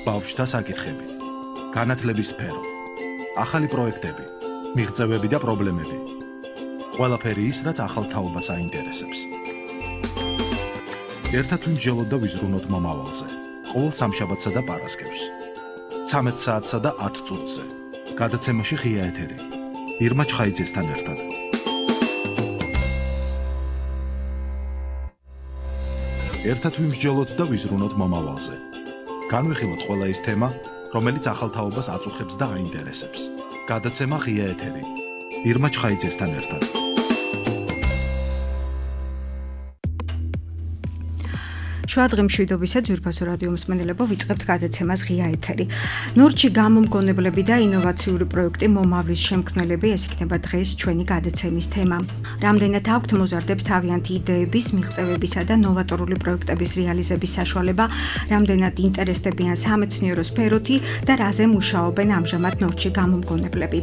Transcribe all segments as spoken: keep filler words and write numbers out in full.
ბავშვთა საკითხები, განათლების სფერო, ახალი პროექტები, მიღწევები და პრობლემები. ყველაფერი ის, რაც ახალ თაობას აინტერესებს. ერთად ვიმსჯელოთ და ვიზრუნოთ მომავალზე. ყოველ სამშაბათსა და პარასკევს. ცამეტ საათსა და ათ წუთზე. გადაცემაში ღია ეთერი. ირმა ჩხაიძესთან ერთად. ერთად ვიმსჯელოთ და ვიზრუნოთ მომავალზე. განვიხილოთ ყველა ის თემა, რომელიც ახალ თაობას აწუხებს და აინტერესებს. გადაცემა ღია ეთერი. ირმა ჩხაიძესთან ერთად. შუადღე მშვიდობისა ძვირფასო რადიო მსმენელებო, ვიწყებთ გადაცემას ღია ეთერი. ნორჩი გამომგონებლები და ინოვაციური პროექტი მომავლის შემქმნელები, ეს იქნება დღეს ჩვენი გადაცემის თემა. რამდენად აქვთ მოზარდებს თავიანთი იდეების, მიღწევებისა და ნოვატორული პროექტების რეალიზების საშუალება, რამდენად ინტერესდებიან სამეცნიერო სფეროთი და რაზე მუშაობენ ამჟამად ნორჩი გამომგონებლები.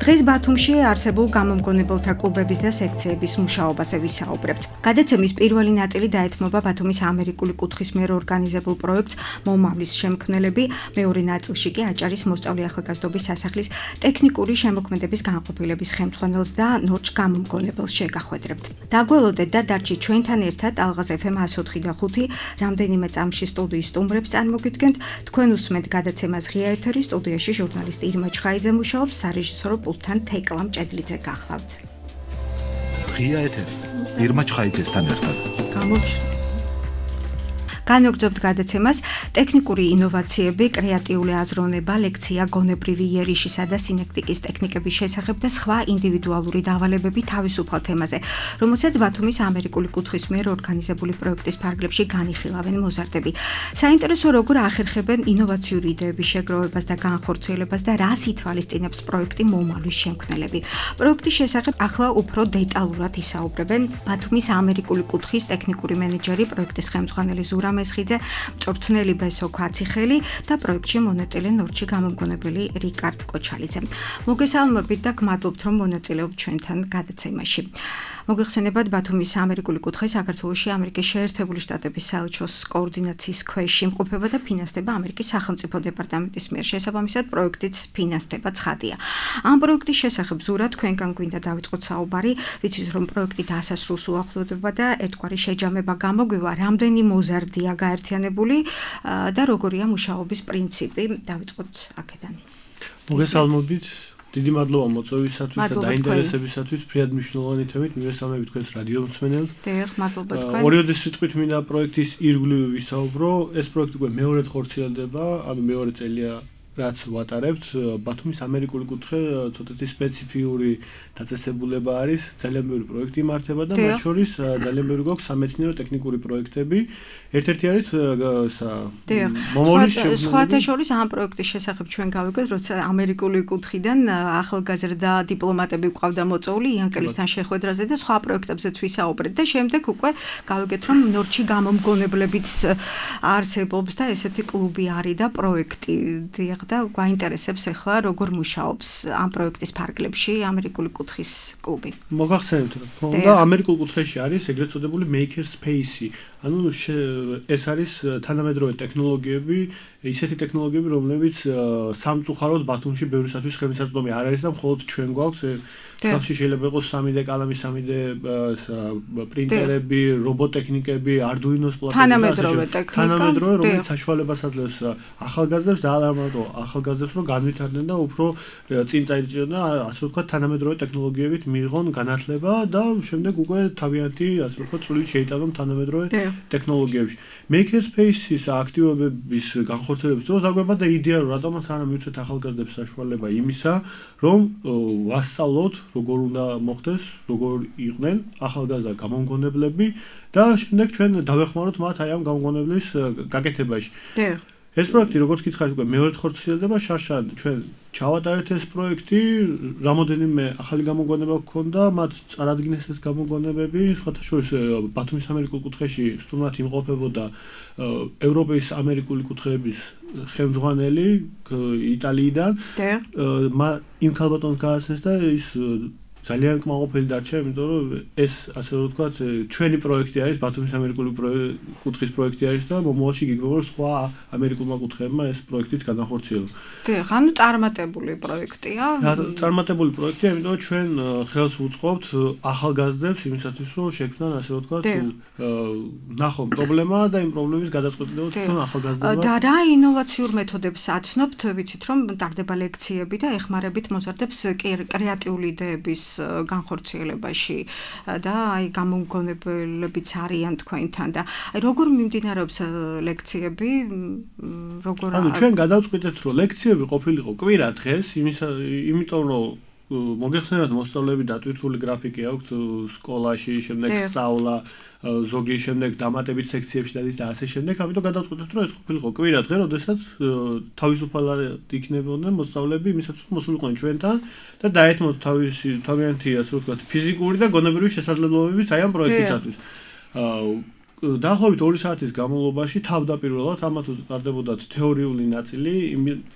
დღეს ბათუმში არსებულ გამომგონებელთა კლუბების და სექციების მუშაობაზე ვისაუბრებთ. გადაცემის პირველი ნაწილი დაეთმობა ბათუმის ამერიკული კუთხის მიერ ორგანიზებულ პროექტს მომავლის შემქმნელები, მეორე ნაწილში კი აჭარის მოსწავლე ახალგაზრდობის სასახლის ტექნიკური შემოქმედების განყოფილების ხელმძღვანელს და ნორჩ გამომგონებელს შეგახვედრებთ. დაგველოდეთ და დარჩით ჩვენთან ერთად ალღაზ ეფ ემ εκατო ოთხი და ხუთი რამდენიმე წამში სტუდიის სტუმრებს წარმოგიდგენთ. თქვენ უსმენთ გადაცემას ღია ეთერი, სტუდიაში ჟურნალისტი ირმა ჩხაიძე მუშაობს, სარეჟისორო პულტთან თეკლა მჭედლიძე გახლავთ. ღია ეთერი. ირმა ჩხაიძესთან ერთად. გამოგჩნდით. განვაგრძობთ გადაცემას ტექნიკური ინოვაციები, კრეატიული აზროვნება, ლექცია გონებრივი იერიშისა და სინექტიკის ტექნიკების შესახებ და სხვა ინდივიდუალური დავალებები თავისუფალ თემაზე, რომელსაც ბათუმის ამერიკული კუთხის მიერ ორგანიზებული პროექტის ფარგლებში განიხილავენ მოზარდები. საინტერესო როგორ ახერხებენ ინოვაციური იდეების შეგროვებას და განხორციელებას და რას ითვალისწინებს პროექტი მომავლის შემქმნელები. პროექტის შესახებ ახლა უფრო დეტალურად ისაუბრებენ ბათუმის ამერიკული კუთხის ტექნიკური მენეჯერი, პროექტის ხელმძღვანელი ზურა მესხიძე, მწვრთნელი ბესო ქვაციხელი და პროექტში მონაწილე ნორჩი გამომგონებელი რიკარდ კოჩალიძე. მოგესალმებით და გმადლობთ, რომ მონაწილეობთ ჩვენთან გადაცემაში. მოგეხსენებათ, ბათუმის ამერიკული კუთხე საქართველოში ამერიკის შეერთებული შტატების საელჩოს коорდინაციის ქვეშ იმყოფება და ფინანსდება ამერიკის სახელმწიფო დეპარტამენტის მიერ. შესაბამისად, პროექტიც ფინანსდება ცხადია. ამ პროექტის შესახებ ზურა თქვენგან გვინდა დავიწყოთ საუბარი, ვიცით რომ პროექტი დასასრულს უახლოვდება და ერთგვარი შეჯამება გამოგვივა, რამდენი მოზარდია გაერთიანებული და როგორია მუშაობის პრინციპი. დავიpracoთ აქედან. მოგესალმებით. დიდი მადლობა მოწვევისათვის და დაინტერესებისათვის. ფრიად მნიშვნელოვანი თემით მივესალმებით თქვენს რადიო მსმენელს. დიახ, მადლობა თქვენ. ორიოდე სიტყვით მინდა პროექტის ირგვლივ ვისაუბრო. ეს პროექტი უკვე მეორედ ხორციელდება, ანუ მეორე წელია რაც ვატარებთ. ბათუმის ამერიკული კუთხე ცოტათი სპეციფიური დაწესებულება არის, ძალიან ბევრი პროექტი იმართება და მათ შორის ძალიან ბევრი გვაქვს სამეცნიერო ტექნიკური პროექტები. ერთ-ერთი არის მომავლის შემქმნელები. სხვათა შორის ამ პროექტის შესახებ ჩვენ გავიგეთ, როცა ამერიკული კუთხიდან ახალგაზრდა დიპლომატები ყავდა მოწვეული იანკელისთან შეხვედრაზე და სხვა პროექტებზეც ვისაუბრეთ და შემდეგ უკვე გავიგეთ, რომ ნორჩი გამომგონებლებიც არსებობს და ესეთი კლუბი არის და პროექტი. დიახ, და გვაინტერესებს ახლა როგორ მუშაობს ამ პროექტის ფარგლებში ამერიკული კუთხის კლუბი. მოგახსენებთ, რომ და ამერიკულ კუთხეში არის ეგრეთ წოდებული maker space-ი. ანუ ეს არის თანამედროვე ტექნოლოგიები, ისეთი ტექნოლოგიები, რომლებიც სამწუხაროდ ბათუმში ბევრისათვის ხელმისაწვდომი არ არის და მხოლოდ ჩვენ გვაქვს. ხალხში შეიძლება იყოს სამი დე კალამი, სამი დე პრინტერები, რობოტექნიკები, არდუინოს პლატფორმები. თანამედროვე ტექნიკა, თანამედროვე, რომელიც საშუალებას აძლევს ახალგაზრდებს და არა მარტო ახალგაზრდებს, რომ განვითარდნენ და უფრო წინ წაიწიონ და ასე ვთქვათ, თანამედროვე ტექნოლოგიებით მიიღონ განათლება და შემდეგ უკვე თავიანთი, ასე ვთქვათ, წვლილი შეიტანონ თანამედროვე ტექნოლოგიებში. Makerspace-ის აქტივობების განხორციელების დროს დაგვება და იდეა, რომ რატომაც არა მივცეთ ახალგაზრდებს საშუალება იმისა, რომ ვასწავლოთ, როგორ უნდა მოხდეს, როგორ იყვნენ ახალგაზრდა გამომგონებლები და შემდეგ ჩვენ დავეხმაროთ მათ აი ამ გამომგონებლის გაკეთებაში. ეს პროექტი, როგორც გითხარით, უკვე მეორედ ხორციელდება, შარშან ჩვენ ჩავატარეთ ეს პროექტი, რამოდენიმე ახალი გამოგონება გქონდა, მათ წარადგინეს ეს გამოგონებები, სხვათა შორის ბათუმის ამერიკულ კუთხეში სტუმრად იმყოფებოდა ევროპის ამერიკული კუთხეების ხელმძღვანელი იტალიიდან. იმ ქალბატონს გააცნეს და ის ძალიან კმაყოფილი დარჩა, იმიტომ რომ ეს ასე რომ ვთქვათ, ჩვენი პროექტი არის, ბათუმის ამერიკული კუთხის პროექტი არის და მომავალში გიგებო რომ სხვა ამერიკულმა კუთხეებმა ეს პროექტიც განახორციელოს. დიახ, ანუ წარმატებული პროექტია. წარმატებული პროექტია, იმიტომ რომ ჩვენ ხელს უწყობთ ახალგაზრდებს იმისათვის, რომ შექმნან ასე რომ ვთქვათ, ნახონ პრობლემა და იმ პრობლემის გადაწყვეტილება თვითონ ახალგაზრდებმა. და რა ინოვაციურ მეთოდებს აცნობთ, ვიცით რომ ტარდება ლექციები და ეხმარებით მოზარდებს კრეატიული იდეების განხორციელებაში და აი გამომგონებლებიც არიან თქვენთან და აი როგორ მიმდინარეობს ლექციები, როგორ ანუ ჩვენ გადავწყვიტეთ რომ ლექციები ყოფილიყო კვირა დღეს, იმიტომ რომ მოგეხსენებათ მოსწავლეები დატვირთული გრაფიკი აქვთ სკოლაში, შემდეგ სწავლა, ზოგი შემდეგ დამატებით სექციებში დადის და ასე შემდეგ, ამიტომ გადავწყვიტეთ რომ ეს ყოფილიყო კვირა დღე, როდესაც თავისუფალად იქნებოდნენ მოსწავლეები იმისათვის რომ მოსულიყვნენ ჩვენთან და დაეთმოთ თავისი თავიანთი ასე ვთქვათ ფიზიკური და გონებრივი შესაძლებლობებიც აი ამ პროექტისათვის. დაახლოებით ორი საათის განმავლობაში თავდაპირველად ამათ უწყდებოდათ თეორიული ნაწილი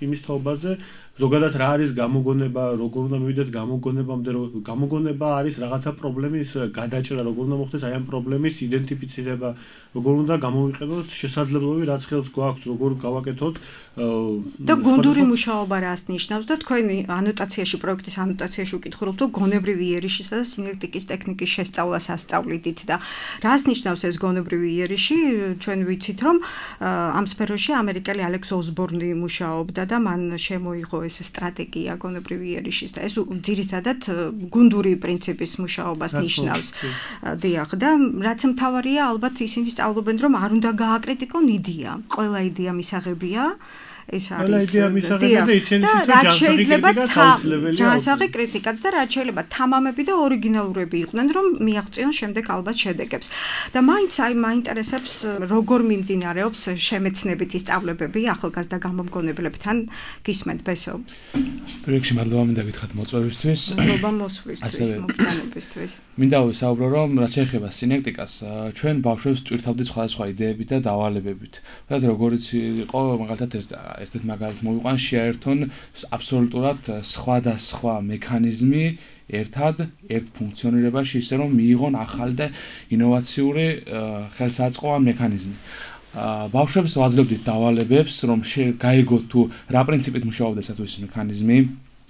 იმის თაობაზე ზოგადად რა არის გამოგონება, როგორ უნდა მივიდეთ გამოგონებამდე, რომ გამოგონება არის რაღაცა პრობლემის გადაჭრა, როგორ უნდა მოხდეს აი ამ პრობლემის იდენტიფიცირება, როგორ უნდა გამოვიყენოთ შესაძლებლობები, რაც ხელს გვაქვს, როგორ გავაკეთოთ და გონდური მუშაობა რას ნიშნავს და თქვენი ანოტაციაში, პროექტის ანოტაციაში უკითხულობთ, რომ გონებრივი იერიშისა და სინექტიკის ტექნიკის შესწავლას ასწავლიდით და რას ნიშნავს ეს გონებრივი იერიში? ჩვენ ვიცით, რომ ამ სფეროში ამერიკელი ალექს ოსბორნი მუშაობდა და მან შემოიღო ეს სტრატეგია გონებრივი იერიშის და ეს ძირითადად გუნდური პრინციპის მუშაობას ნიშნავს. დიახ, და რაც მთავარია, ალბათ ისინი სწავლობენ, რომ არ უნდა გააკრიტიკონ იდეა. ყველა იდეა მისაღებია. ეს არის და შეიძლება ჯანსაღი კრიტიკაც და რაც შეიძლება თამამები და ორიგინალურები იყვნენ, რომ მიაღწიონ შემდეგ ალბათ შედეგებს. და მაინც აი მაინტერესებს როგორ მიმდინარეობს შემეცნებითი სწავლებები ახალგაზრდა გამომგონებლებთან. გისმენთ ბესო? პროექტში მადლობა მინდა გითხრათ მოწვევისთვის. მადლობა მოსვლისთვის, მოგზაურობისთვის. მინდა ვისაუბრო, რომ რაც შეეხება სინექტიკას, ჩვენ ბავშვებს ტვირთავდით სხვადასხვა იდეებით და დავალებებით. და როგორიც იყო მაგალითად ერთ-ერთ მაგალითს მოვიყვან, შეაერთონ აბსოლუტურად სხვადასხვა მექანიზმი ერთად ერთ ფუნქციონირებაში, ისე რომ მიიღონ ახალი და ინოვაციური ხელსაწყო მექანიზმი. ბავშვებს ვაძლევდით დავალებებს, რომ გაიგოთ თუ რა პრინციპით მუშაობდა ეს მექანიზმი,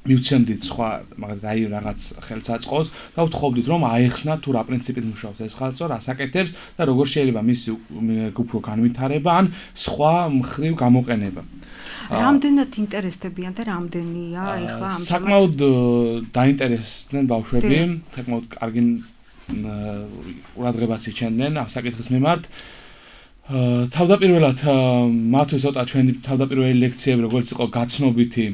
მივცემდით სხვა მაგალითად რაღაც ხელსაწყოს და ვთხოვდით რომ აეხსნათ თუ რა პრინციპით მუშაობს ეს ხელსაწყო, რას აკეთებს და როგორ შეიძლება მისი უფრო განვითარება ან სხვა მხრივ გამოყენება. რამდენად ინტერესდებიან და რამდენია ეხლა ამ საკმაოდ დაინტერესდნენ ბავშვები, საკმაოდ კარგი ყურადღებას იჩენდნენ ამ საკითხის მიმართ. თავდაპირველად მათთვის ცოტა ჩვენი თავდაპირველი ლექციები, როგორც იყო გაცნობითი,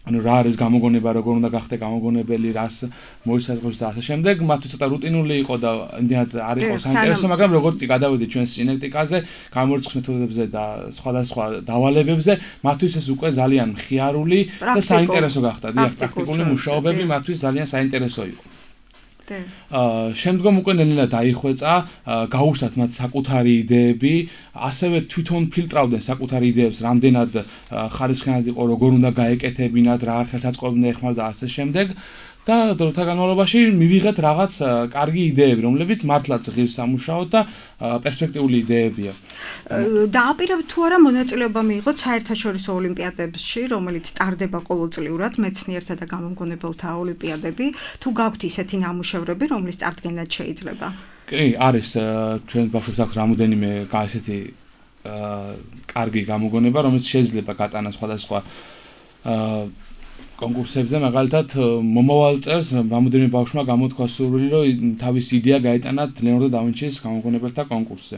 ანუ რა არის გამოგონება, როგორ უნდა გახდე გამოგონებელი, რას მოისაზღვრებს და ასე შემდეგ, მათთვის ცოტა რუტინული იყო და იმდენად არ იყო საინტერესო, მაგრამ როგორც გადავედით ჩვენ სინექტიკაზე, გამორიცხვის მეთოდებზე და სხვადასხვა დავალებებზე, მათთვის ეს უკვე ძალიან მხიარული და საინტერესო გახდა. დიახ, პრაქტიკული მუშაობები მათთვის ძალიან საინტერესო იყო. აა შემდგომ უკვე ნელ-ნელა დაიხვეწა, გაუშვათ მათ საკუთარი იდეები, ასევე თვითონ ფილტრავდნენ საკუთარი იდეებს, რამდენად ხარისხიანად იყო, როგორ უნდა გაეკეთებინათ, რა ხელსაწყოები უნდა ეხმაროთ და ასე შემდეგ. და დროთა განმავლობაში მივიღეთ რაღაც კარგი იდეები, რომლებიც მართლაც ღირს სამუშაოდ და პერსპექტიული იდეებია. დააპირებთ თუ არა მონაწილეობა მიიღოთ საერთაშორისო ოლიმპიადებში, რომელიც ტარდება ყოველწლიურად, მეცნიერთა და გამომგონებელთა ოლიმპიადები, თუ გაქვთ ისეთი ნამუშევრები, რომლის წარდგენაც შეიძლება? კი, არის ჩვენ ბავშვებს აქვს რამოდენიმე ესეთი კარგი გამოგონება, რომელიც შეიძლება გატანას სხვადასხვა კონკურსებზე, მაგალითად მომავალ წელს რამოდენიმე ბავშვმა გამოთქვა სურვილი, რომ თავის იდეა გაეტანათ ლეონარდო და ვინჩის გამოგონებელთა კონკურსზე.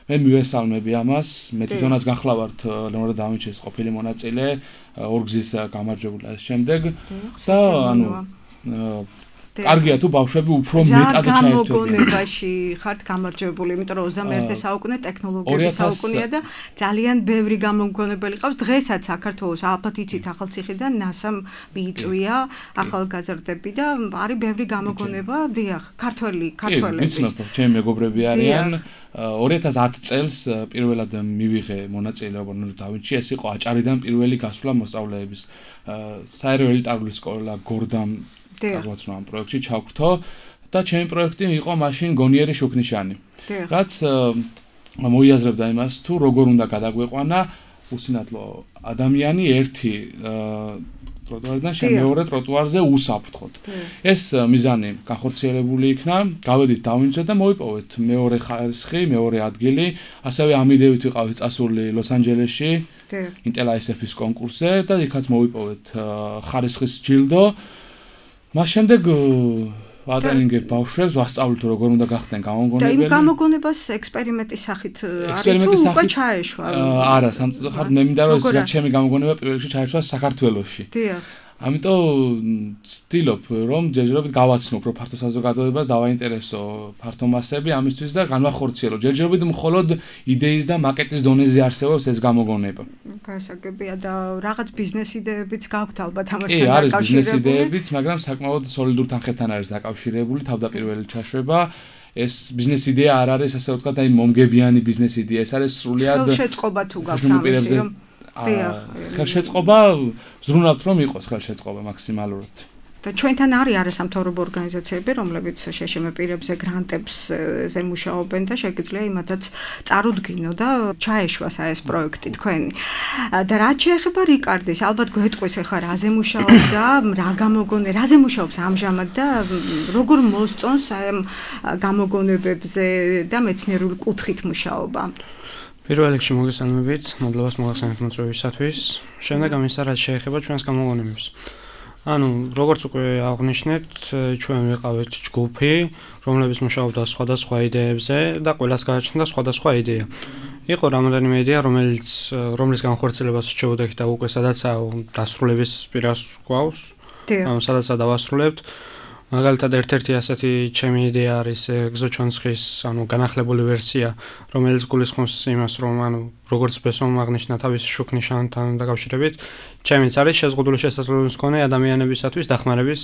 მე მივესალმები ამას, მე თვითონაც გახლავართ ლეონარდო და ვინჩის ყოფილი მონაწილე, ორგზის გამარჯვებული და შემდეგ და ანუ კარგია თუ ბავშვები უფრო მეტად ჩაერთვებიან. გამოგონებაში ხართ გამარჯვებული, იმიტომ რომ ოცდამეერთე საუკუნე ტექნოლოგიების საუკუნეა და ძალიან ბევრი გამოგონებელი ყავს. დღესაც საქართველოს ალბათ იცით ახალციხიდან ნასამ მიიწვია ახალგაზრდები და არის ბევრი გამოგონება, დიახ, ქართველი, ქართველების. კი, ვიცნობ, ჩემი მეგობრები არიან. ორი ათას ათი წელს პირველად მივიღე მონაწილეობა და ვინჩი ეს იყო აჭარიდან პირველი გასვლა მოსწავლეების. საერო ელიტარული სკოლა გორდამ დაგვაცნო ამ პროექტში ჩავკრთო და ჩემი პროექტი იყო მაშინ გონიერი შუქნიშანი. რაც მოიაზრებდა იმას თუ როგორ უნდა გადაგვეყვანა უსინათლო ადამიანი ერთი ტროტუარიდან მეორე ტროტუარზე უსაფრთხოდ. ეს მიზანი განხორციელებული იქნა, გავედით დავინჯეთ და მოვიპოვეთ მეორე ხარისხი, მეორე ადგილი, ასევე ამიდევით ვიყავით წასული ლოს-ანჯელესში, ინტელ აი ეს ეფ-ის კონკურსზე და იქაც მოვიპოვეთ ხარისხის ჯილდო. მას შემდეგ ვატრენინგებ ბავშვებს, ვასწავლით როგორ უნდა გახდნენ გამომგონებელი. და იმ გამოგონებას ექსპერიმენტის სახით არის თუ უკვე ჩაეშვა? არა, სამწუხაროდ მე მინდა რომ ეს ჩემი გამოგონება პირველ რიგში ჩაეშვა საქართველოში. დიახ. ამიტომ ვცდილობ რომ ჯერჯერობით გავაცნო უფრო ფართო საზოგადოებას, დავაინტერესო ფართო მასები ამისთვის და განვახორციელო. ჯერჯერობით მხოლოდ იდეის და მაკეტის დონეზე არსებობს ეს გამოგონება. გასაგებია და რაღაც ბიზნეს იდეებიც გაქვთ ალბათ ამასთან დაკავშირებული. კი, არის ბიზნეს დაკავშირებული. იდეებიც, მაგრამ საკმაოდ სოლიდურ თანხებთან არის დაკავშირებული, თავდაპირველი ჩაშვება. ეს ბიზნეს იდეა არ არის ასე ვთქვათ, აი მომგებიანი ბიზნეს იდეა, ეს არის სრულიად ხელშეწყობა თუ გაქვს ამისი რომ ხელშეწყობა ზრუნავთ რომ იყოს ხელშეწყობა მაქსიმალურად. და ჩვენთან არის არასამთავრობო ორგანიზაციები, რომლებიც შეშმ პირებზე გრანტებზე მუშაობენ და შეგიძლია იმათაც წარუდგინო და ჩაეშვას ეს პროექტი თქვენი. და რაც შეეხება რიკარდის, ალბათ გვეტყვის ახლა რაზე მუშაობდა, რა გამოგონე, რაზე მუშაობს ამჟამად და როგორ მოსწონს აი ამ გამოგონებებზე და მეცნიერული კუთხით მუშაობა. პირველ რიგში მოგესალმებით, მადლობას მოგახსენებთ მოწვევისათვის. შემდეგ ამისა რაც შეეხება ჩვენს გამოგონებებს. ანუ როგორც უკვე აღნიშნეთ, ჩვენ ვიყავით ჯგუფი, რომლებიც მუშაობდა სხვადასხვა იდეებზე და ყველას გააჩნდა სხვადასხვა იდეა. იყო რამოდენიმე იდეა, რომელიც რომლის განხორციელებას შეუდექით და უკვე სადაცაა დასრულების პირას გვაქვს. ანუ სადაცაა დავასრულებთ. მაგალითად ერთ-ერთი ასეთი ჩემი იდეა არის ეგზოჩონცხის, ანუ განახლებული ვერსია, რომელიც გულისხმობს იმას, რომ ანუ როგორც ბესომ აღნიშნა თავის შუქნიშანთან დაკავშირებით, ჩემიც არის შეზღუდული შესაძლებლობის მქონე ადამიანებისათვის დახმარების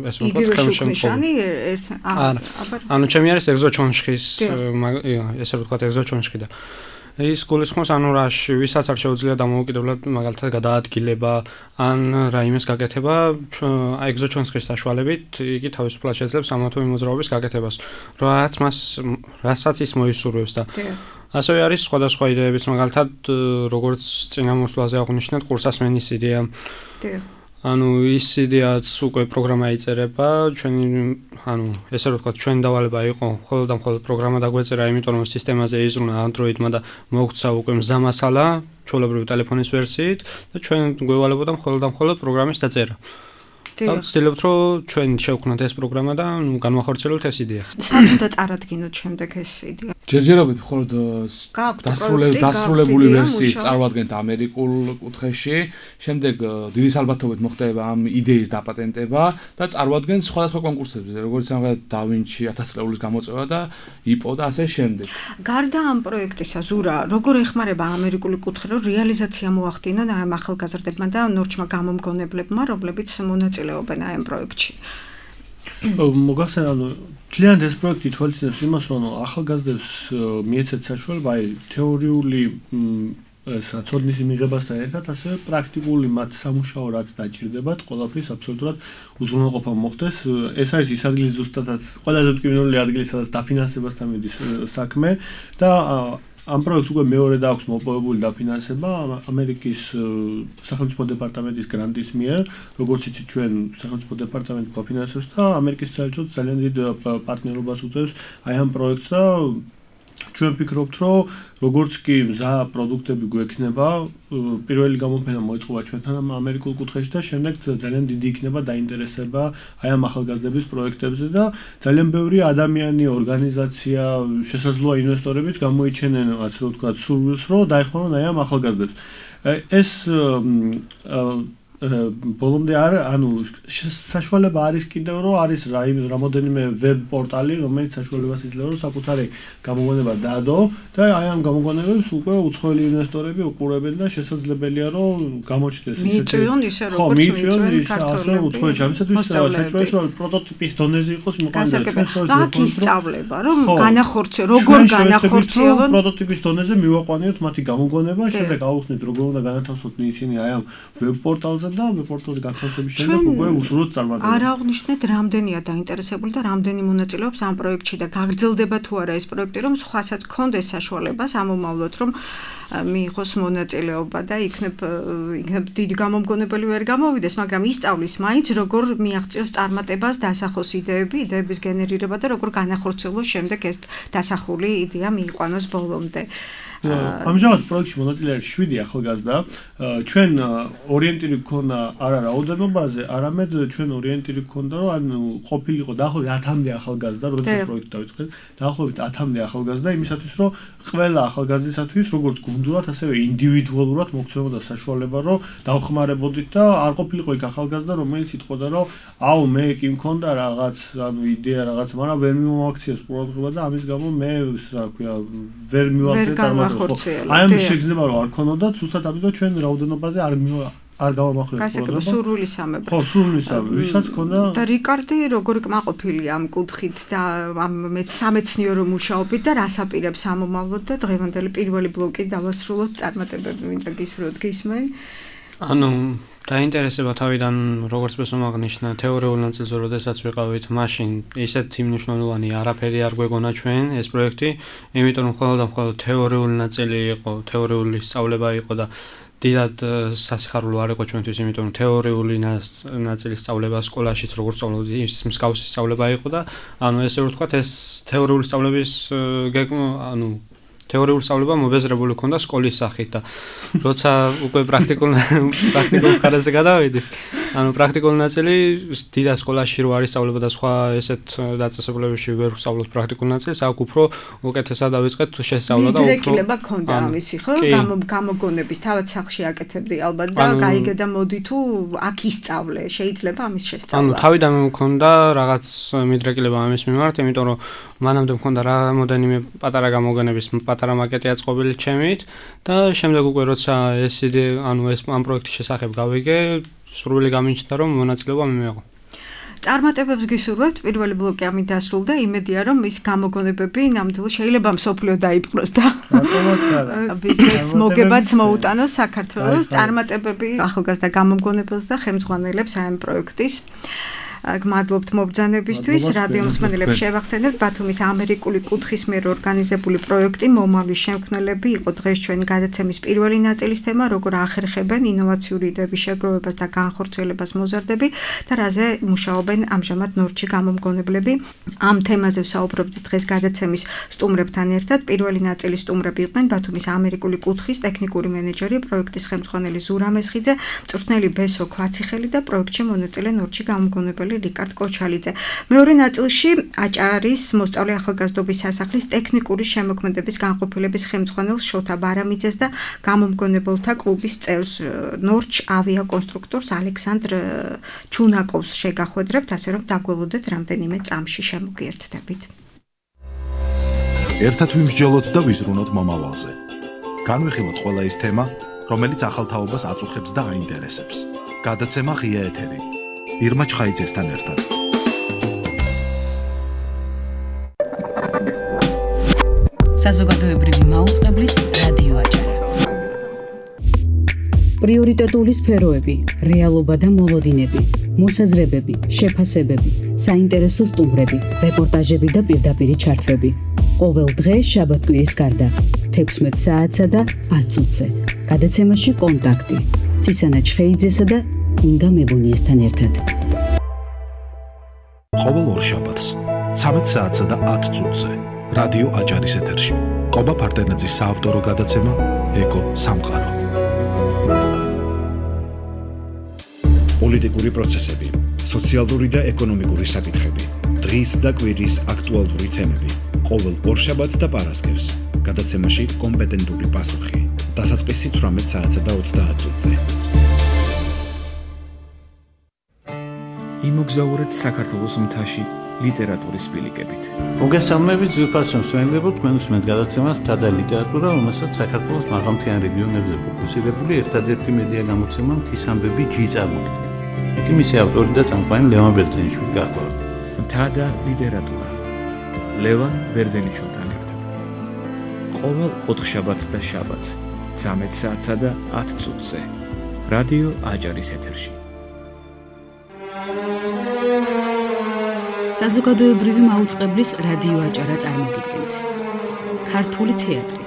ეს ვთქვათ ხელშემწყობი. ანუ ჩემი არის ეგზოჩონცხის, ესე ვთქვათ ეგზოჩონცხი და ის გულისხმობს ანუ რაში ვისაც არ შეუძლია დამოუკიდებლად მაგალითად გადაადგილება ან რაიმეს გაკეთება ეგზოჩონცხის საშუალებით იგი თავისუფლად შეძლებს ამა თუ იმ მოძრაობის გაკეთებას რაც მას რასაც ის მოისურვებს და ასევე არის სხვადასხვა იდეებიც მაგალითად როგორც წინამოსვლაზე აღნიშნეთ ყურსასმენის იდეა ანუ ის იდეაც უკვე პროგრამა იწერება ჩვენი ანუ ესე რომ ვთქვათ ჩვენი დავალება იყო მხოლოდ და მხოლოდ პროგრამა დაგვეწერა იმიტომ რომ სისტემაზე იზრუნა Android-მა და მოგვცა უკვე მზამასალა ჩვეულებრივი ტელეფონის ვერსიით და ჩვენ გვევალებოდა მხოლოდ და მხოლოდ პროგრამის დაწერა და ვცდილობთ რომ ჩვენ შევქმნათ ეს პროგრამა და განვახორციელოთ ეს იდეა სად უნდა წარადგინოთ შემდეგ ეს იდეა ჯერჯერობით მხოლოდ დასრულებული ვერსიის წარმოადგენთ ამერიკულ კუთხეში, შემდეგ დიდი ალბათობით მოხდება ამ იდეის დაპატენტება და წარმოადგენთ სხვადასხვა კონკურსებზე, როგორც ამღაც დავინჩი ათას წლეულის გამოწვევა და იპო და ასე შემდეგ. გარდა ამ პროექტისა, ზურა, როგორ ეხმარება ამერიკული კუთხე, რომ რეალიზაცია მოახდინონ ამ ახალგაზრდებმა და ნორჩმა გამომგონებლებმა, რომლებიც მონაწილეობენ ამ პროექტში? მოგახსენე ანუ თლიანად ეს პროექტი თვალისწინებს იმას რომ ახალგაზრდებს მიეცეთ საშუალება აი თეორიული საწოდნის მიღებასთან ერთად ასევე პრაქტიკული მათ სამუშაო რაც დაჭირდებათ ყველაფრის აბსოლუტურად უზრუნველყოფა მოხდეს ეს არის ის ადგილი ზუსტადაც ყველაზე მტკივნეული ადგილი სადაც დაფინანსებასთან მიდის საქმე და ამ პროექტს უკვე მეორე და აქვს მოპოვებული დაფინანსება ამერიკის სახელმწიფო დეპარტამენტის გრანტის მიერ, როგორც იცით ჩვენ სახელმწიფო დეპარტამენტი გვაფინანსებს და ამერიკის საელჩო ძალიან დიდ პარტნიორობას უწევს აი ამ პროექტს და ჩვენ ვფიქრობთ, რომ როგორც კი მზა პროდუქტები გვექნება, პირველი გამოფენა მოეწყობა ჩვენთან ამერიკულ კუთხეში და შემდეგ ძალიან დიდი იქნება დაინტერესება აი ამ ახალგაზრდების პროექტებზე და ძალიან ბევრი ადამიანი, ორგანიზაცია, შესაძლოა ინვესტორებიც გამოიჩენენ, ასე რომ ვთქვათ, სურვილს, რომ დაეხმარონ აი ამ ახალგაზრდებს. ეს ბოლომდე არ ანუ საშუალება არის კიდევ რომ არის რამოდენიმე ვებ პორტალი რომელიც საშუალებას იძლევა რომ საკუთარი გამოგონება დაადო და აი ამ გამოგონებებს უკვე უცხოელი ინვესტორები უყურებენ და შესაძლებელია რომ გამოჩნდეს ისეთი მიიწვიონ ისე როგორც მიიწვიონ ასე უცხოელი ამისათვის საჭიროა რომ პროტოტიპის დონეზე იყოს მოყანდა და აქ ისწავლება რომ განახორციელო როგორ განახორციელონ პროტოტიპის დონეზე მივაყვანიოთ მათი გამოგონება შემდეგ აუხსნით როგორ უნდა განათავსოთ ისინი აი ამ ვებ პორტალზე და პორტალზე განთავსების შემდეგ უკვე უსურვოთ წარმატება. არ აღნიშნეთ რამდენია დაინტერესებული და რამდენი მონაწილეობს ამ პროექტში და გაგრძელდება თუ არა ეს პროექტი, რომ სხვასაც გქონდეს საშუალება სამომავლოდ რომ მიიღოს მონაწილეობა და იქნებ იქნებ დიდი გამომგონებელი ვერ გამოვიდეს, მაგრამ ისწავლის მაინც როგორ მიაღწიოს წარმატებას, დასახოს იდეები, იდეების გენერირება და როგორ განახორციელოს შემდეგ ეს დასახული იდეა მიიყვანოს ბოლომდე. ამჟამად პროექტში მონაწილე არის შვიდი ახალგაზრდა. ჩვენ ორიენტირი გქონდა არა რაოდენობაზე, არამედ ჩვენ ორიენტირი გქონდა, რომ ანუ ყოფილიყო დაახლოებით ათამდე ახალგაზრდა, როდესაც პროექტი დავიწყეთ, დაახლოებით ათამდე ახალგაზრდა იმისათვის, რომ ყველა ახალგაზრდისათვის როგორც გუნდურად, ასევე ინდივიდუალურად მოგცემოდა საშუალება, რომ დავხმარებოდით და არ ყოფილიყო იქ ახალგაზრდა, რომელიც იტყოდა, რომ აუ მე კი მქონდა რაღაც, ანუ იდეა რაღაც, მაგრამ ვერ მიმოაქციეს ყურადღება და ამის გამო მე რა ქვია, ვერ მივახდე წარმატებას. აი ამ შეგრძნება რომ არ ქონოდა, ზუსტად ამიტომ ჩვენ რაოდენობაზე არ არ გავამახვილეთ პროგრამა. სურვილისამებრ. ხო, სურვილისამებრ. ვისაც ქონდა და რიკარდი როგორი კმაყოფილია ამ კუთხით და ამ სამეცნიერო მუშაობით და რას აპირებს ამომავლოდ და დღევანდელი პირველი ბლოკი დავასრულოთ წარმატებები მინდა გისურვოთ გისმენ. ანუ დაინტერესება თავიდან როგორც ბესომ აღნიშნა თეორიულ ნაწილზე როდესაც ვიყავით მაშინ ისეთი მნიშვნელოვანი არაფერი არ გვეგონა ჩვენ ეს პროექტი იმიტომ რომ მხოლოდ და მხოლოდ თეორიული ნაწილი იყო თეორიული სწავლება იყო და დიდად სასიხარულო არ იყო ჩვენთვის იმიტომ რომ თეორიული ნაწილის სწავლება სკოლაშიც როგორც სწავლობდი ის მსგავსი სწავლება იყო და ანუ ესე რომ ვთქვათ ეს თეორიული სწავლების გეგმა ანუ თეორიულ სწავლება მობეზრებული ქონდა სკოლის სახით და როცა უკვე პრაქტიკულ პრაქტიკულ ხარაზე გადავიდით ანუ პრაქტიკული ნაწილი დიდ სკოლაში რო არის სწავლება და სხვა ესეთ დაწესებულებებში ვერ ვსწავლობთ პრაქტიკულ ნაწილს აქ უფრო უკეთესად დავიწყეთ შესწავლა და უფრო მიდრეკილება ქონდა ამისი ხო გამოგონების თავად სახში აკეთებდი ალბათ და გაიგე და მოდი თუ აქ ისწავლე შეიძლება ამის შესწავლა ანუ თავიდან მქონდა რაღაც მიდრეკილება ამის მიმართ იმიტომ რომ მანამდე მქონდა რამოდენიმე პატარა გამოგონების პატარა მაკეტი აწყობილი ჩემით და შემდეგ უკვე როცა ეს იდეა ანუ ეს ამ პროექტის შესახებ გავიგე სრული გამიჩნდა რომ მონაწილეობა მიმეღო. წარმატებებს გისურვებთ პირველი ბლოკი ამით დასრულდა იმედია რომ ის გამოგონებები ნამდვილად შეიძლება მსოფლიო დაიპყროს და ბიზნეს მოგებაც მოუტანოს საქართველოს წარმატებები ახალგაზრდა გამოგონებელს და ხელმძღვანელებს ამ პროექტის გმადლობთ მობრძანებისთვის რადიო მსმენელებს შევახსენებთ ბათუმის ამერიკული კუთხის მიერ ორგანიზებული პროექტი მომავლის შემქმნელები იყო დღეს ჩვენი გადაცემის პირველი ნაწილის თემა როგორ ახერხებენ ინოვაციური იდეების შეგროვებას და განხორციელებას მოზარდები და რაზე მუშაობენ ამჟამად ნორჩი გამომგონებლები ამ თემაზე ვსაუბრობთ დღეს გადაცემის სტუმრებთან ერთად პირველი ნაწილის სტუმრები იყვნენ ბათუმის ამერიკული კუთხის ტექნიკური მენეჯერი პროექტის ხელმძღვანელი ზურა მესხიძე მწვრთნელი ბესო ქვაციხელი და პროექტში მონაწილე ნორჩი გამომგონებელი რიკარდ კოჩალიძე. მეორე ნაწილში აჭარის მოსწავლე ახალგაზრდობის სასახლის ტექნიკური შემოქმედების განყოფილების ხელმძღვანელ შოთა ბარამიძეს და გამომგონებელთა კლუბის წევრს ნორჩ ავიაკონსტრუქტორს ალექსანდრ ჩუნაკოვს შეგახვედრებთ, ასე რომ დაგველოდეთ რამდენიმე წამში შემოგიერთდებით. ერთად ვიმსჯელოთ და ვიზრუნოთ მომავალზე. განვიხილოთ ყველა ის თემა, რომელიც ახალთაობას აწუხებს და აინტერესებს. გადაცემა ღია ეთერი. ირმა ჩხაიძესთან ერთად. საზოგადოებრივი მაუწყებლის რადიო აჭარა. პრიორიტეტული სფეროები, რეალობა და მოლოდინები, მოსაზრებები, შეფასებები, საინტერესო სტუმრები, რეპორტაჟები და პირდაპირი ჩართვები. ყოველ დღე შაბათ-კვირის გარდა, თექვსმეტ საათსა და ათ წუთზე. გადაცემაში კონტაქტი: ცისანა ჩხეიძესა და ინგა მებუნიესთან ერთად. ყოველ ორშაბათს ცამეტ საათსა და ათ წუთზე რადიო აჭარის ეთერში კობა ფარტენაძის საავტორო გადაცემა ეკო სამყარო. პოლიტიკური პროცესები, სოციალური და ეკონომიკური საკითხები, დღის და კვირის აქტუალური თემები. ყოველ ორშაბათს და პარასკევს გადაცემაში კომპეტენტური პასუხი. დასაწყისი თვრამეტ საათსა და ოცდაათ წუთზე. იმოგზაურეთ საქართველოს მთაში ლიტერატურის ბილიკებით. მოგესალმებით ძვირფასო მსმენელებო, თქვენ უსმენთ გადაცემას მთა და ლიტერატურა, რომელსაც საქართველოს მაღალმთიან რეგიონებზე ფოკუსირებული ერთადერთი მედია გამოცემა მთის ამბები ჯი წარმოქმნის. იქ მისი ავტორი და წამყვანი ლევან ბერძენიშვილი გახლავთ. მთა და ლიტერატურა. ლევან ბერძენიშვილთან ერთად. ყოველ ოთხშაბათს და შაბათს, ცამეტ საათსა და ათ წუთზე. რადიო აჭარის ეთერში. საზოგადოებრივი მაუწყებლის რადიო აჭარა წარმოგიდგენთ. ქართული თეატრი.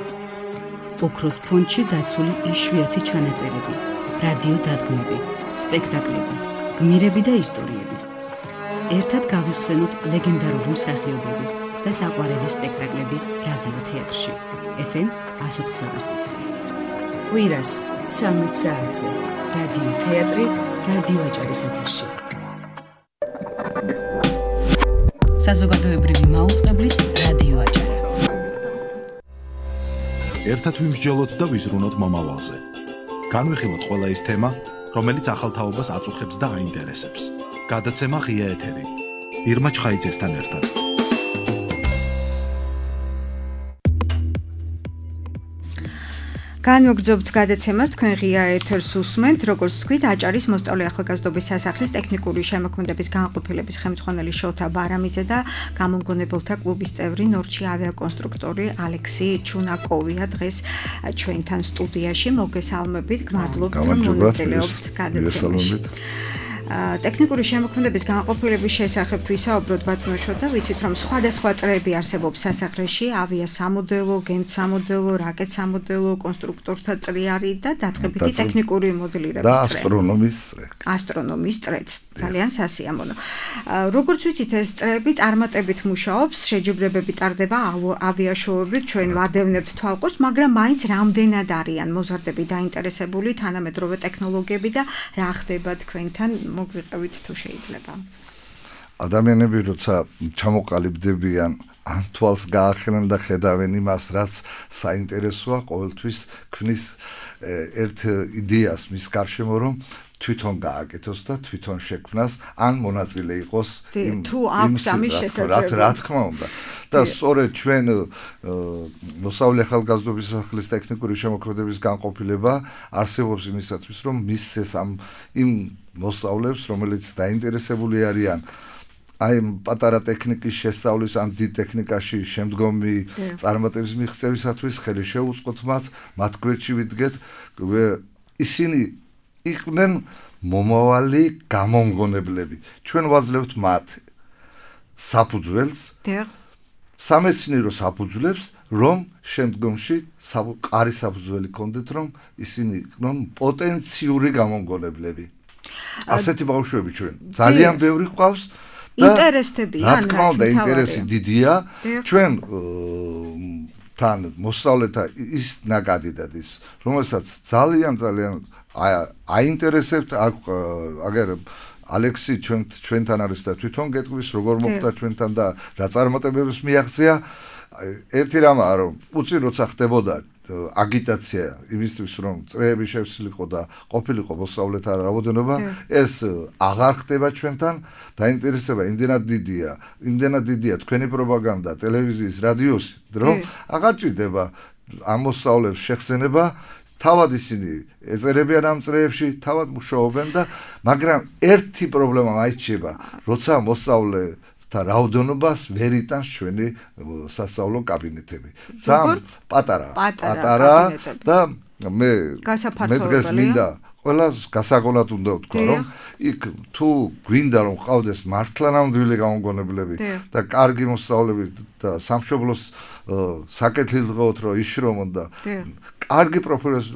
ოქროს ფონდში დაცული იშვიათი ჩანაწერები, რადიო დადგმები, სპექტაკლები, გმირები და ისტორიები. ერთად გავიხსენოთ ლეგენდარული მსახიობები და საყვარელი სპექტაკლები რადიო თეატრში. ეფ ემ εκατს ოთხსა და ხუთზე. კვირას ცამეტ საათზე რადიო თეატრი რადიო აჭარის ეთერში. საზოგადოებრივი მაუწყებლის რადიო აჭარა. ერთად ვიმსჯელოთ და ვიზრუნოთ მომავალზე. განვიხილოთ ყველა ის თემა, რომელიც ახალ თაობას აწუხებს და აინტერესებს. გადაცემა ღია ეთერი. ირმა ჩხაიძესთან ერთად. განვაგრძობთ გადაცემას, თქვენ ღია ეთერს უსმენთ, როგორც თქვით, აჭარის მოსწავლე ახალგაზრდობის სასახლის ტექნიკური შემოქმედების განყოფილების ხელმძღვანელი შოთა ბარამიძე და გამომგონებელთა კლუბის წევრი ნორჩი ავიაკონსტრუქტორი ალექსი ჩუნაკოვია დღეს ჩვენთან სტუდიაში. მოგესალმებით, გმადლობთ, რომ მონაწილეობთ გადაცემაში. ტექნიკური შემოქმედების განყოფილების შესახებ ვისაუბროთ ბატონო შოთა, ვიცით რომ სხვადასხვა წრეები არსებობს სასახლეში, ავიასამოდელო, გემსამოდელო, რაკეტსამოდელო, კონსტრუქტორთა წრი არის და დაწყებითი ტექნიკური მოდელირების წრე. და ასტრონომის წრე. ასტრონომის წრეც ძალიან სასიამოვნო. როგორც ვიცით, ეს წრეები წარმატებით მუშაობს, შეჯიბრებები ტარდება ავიაშოუებით, ჩვენ ვადევნებთ თვალყოს, მაგრამ მაინც რამდენად არიან მოზარდები დაინტერესებული თანამედროვე ტექნოლოგიები და რა ხდება თქვენთან მოგვიყევით თუ შეიძლება. ადამიანები როცა ჩამოყალიბდებიან, ან თვალს გაახელენ და ხედავენ იმას, რაც საინტერესოა, ყოველთვის ქმნის ერთ იდეას მის გარშემო, რომ თვითონ გააკეთოს და თვითონ შექმნას, ან მონაწილე იყოს იმ თუ აქვს ამის შესაძლებლობა. რა თქმა უნდა. და სწორედ ჩვენ მოსწავლე ახალგაზრდობის სასახლის ტექნიკური შემოქმედების განყოფილება არსებობს იმისათვის, რომ მისცეს ამ იმ მოსწავლეებს, რომელიც დაინტერესებული არიან აი პატარა ტექნიკის შესწავლის ან დიდ ტექნიკაში შემდგომი წარმატების მიღწევისათვის, ხელი შეუწყოთ მათ, მათ გვერდში ვიდგეთ, ისინი იყვნენ მომავალი გამომგონებლები. ჩვენ ვაძლევთ მათ საფუძველს, სამეცნიერო საფუძვლებს, რომ შემდგომში ყარი საფუძველი ქონდეთ, რომ ისინი იყვნენ პოტენციური გამომგონებლები. ასეთი ბავშვები ჩვენ ძალიან ბევრი ყავს და ინტერესდებიან, რა თქმა უნდა, ინტერესი დიდია. ჩვენ თან მოსწავლეთა ის ნაკადი დადის, რომელსაც ძალიან ძალიან აინტერესებთ, აგერ ალექსი ჩვენ ჩვენთან არის და თვითონ გეტყვის, როგორ მოხდა ჩვენთან და რა წარმატებებს მიაღწია. ერთი რამაა, რომ უცი როცა ხდებოდა აგიტაცია იმისთვის, რომ წრეები შევსილიყო და ყოფილიყო მოსწავლეთა რაოდენობა, ეს აღარ ხდება ჩვენთან, დაინტერესება იმდენად დიდია, იმდენად დიდია თქვენი პროპაგანდა, ტელევიზიის, რადიოს, რომ აღარ ჭირდება ამ მოსწავლეებს შეხსენება. თავად ისინი ეწერებიან ამ წრეებში, თავად მუშაობენ და მაგრამ ერთი პრობლემა მაიჩება, როცა მოსწავლე და რაოდენობას ვერ იტანს ჩვენი სასწავლო კაბინეტები. ძალიან პატარა, პატარა და მე მე დღეს მინდა ყველას გასაგონად უნდა ვთქვა, რომ იქ თუ გვინდა რომ ყავდეს მართლა ნამდვილი გამომგონებლები და კარგი მოსწავლეები და სამშობლოს საკეთილდღეოდ რომ იშრომონ და კარგი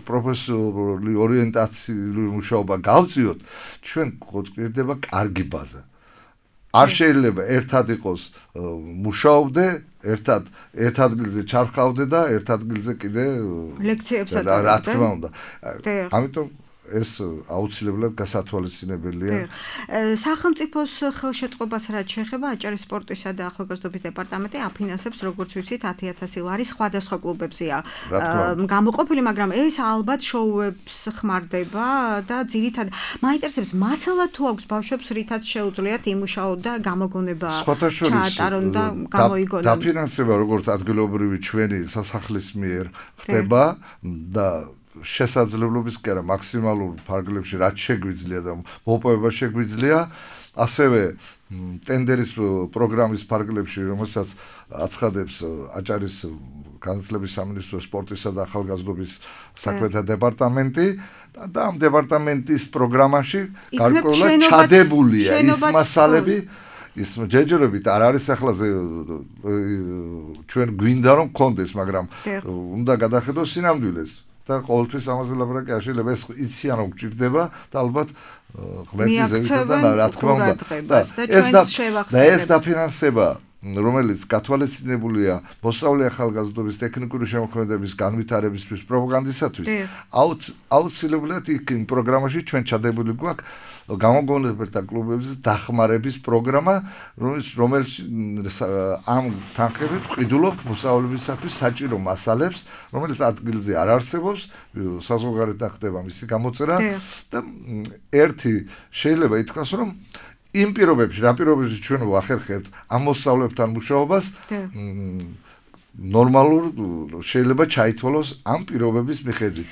პროფესიული ორიენტაციული მუშაობა გავწიოთ, ჩვენ გვჭირდება კარგი ბაზა. არ შეიძლება ერთად იყოს მუშაობდე, ერთად ერთ ადგილზე ჩარხავდე და ერთ ადგილზე კიდე ლექციებს ატარებდე. რა თქმა უნდა. ამიტომ ეს აუცილებლად გასათვალისწინებელია. სახელმწიფოს ხელშეწყობას რაც შეეხება აჭარის სპორტისა და ახალგაზრდობის დეპარტამენტი აფინანსებს, როგორც ვიცით, ათი ათასი ლარი სხვადასხვა კლუბებზეა გამოყოფილი, მაგრამ ეს ალბათ შოუებს ხმარდება და ძირითადად მაინტერესებს მასალა თუ აქვს ბავშვებს, რითაც შეუძლიათ იმუშაოთ და გამოგონება ჩაატარონ და გამოიგონონ. დაფინანსება როგორც ადგილობრივი ჩვენი სასახლის მიერ ხდება და შესაძლებლობის კი არა მაქსიმალურ ფარგლებში რაც შეგვიძლია და მოპოვება შეგვიძლია ასევე ტენდერის პროგრამის ფარგლებში რომელსაც აცხადებს აჭარის განათლების სამინისტროს სპორტისა და ახალგაზრდობის საქმეთა დეპარტამენტი და ამ დეპარტამენტის პროგრამაში გარკვეულად ჩადებულია ის მასალები ის ჯერჯერობით არ არის ახლა ჩვენ გვინდა რომ გქონდეს მაგრამ უნდა გადახედოს სინამდვილეს და ყოველთვის ამაზე ლაპარაკი არ შეიძლება ეს იციან რომ გჭირდება და ალბათ ღმერთის ზევითიდან რა თქმა უნდა და ეს დაფინანსება რომელიც გათვალისწინებულია მოსწავლე ახალგაზრდობის ტექნიკური შემოქმედების განვითარებისთვის პროპაგანდისათვის აუცილებლად იქ იმ პროგრამაში ჩვენ ჩადებული გვაქვს გამოგონებათა კლუბების დახმარების პროგრამა რომელიც ამ თანხებით ყიდულობ მოსწავლებისათვის საჭირო მასალებს რომელიც ადგილზე არ არსებობს საზღვარგარეთ ხდება მისი გამოწერა და ერთი შეიძლება ითქვას რომ იმ პირობებში, რა პირობებში ჩვენ ვახერხებთ ამ მოსწავლებთან მუშაობას, ნორმალურ შეიძლება ჩაითვალოს ამ პირობების მიხედვით.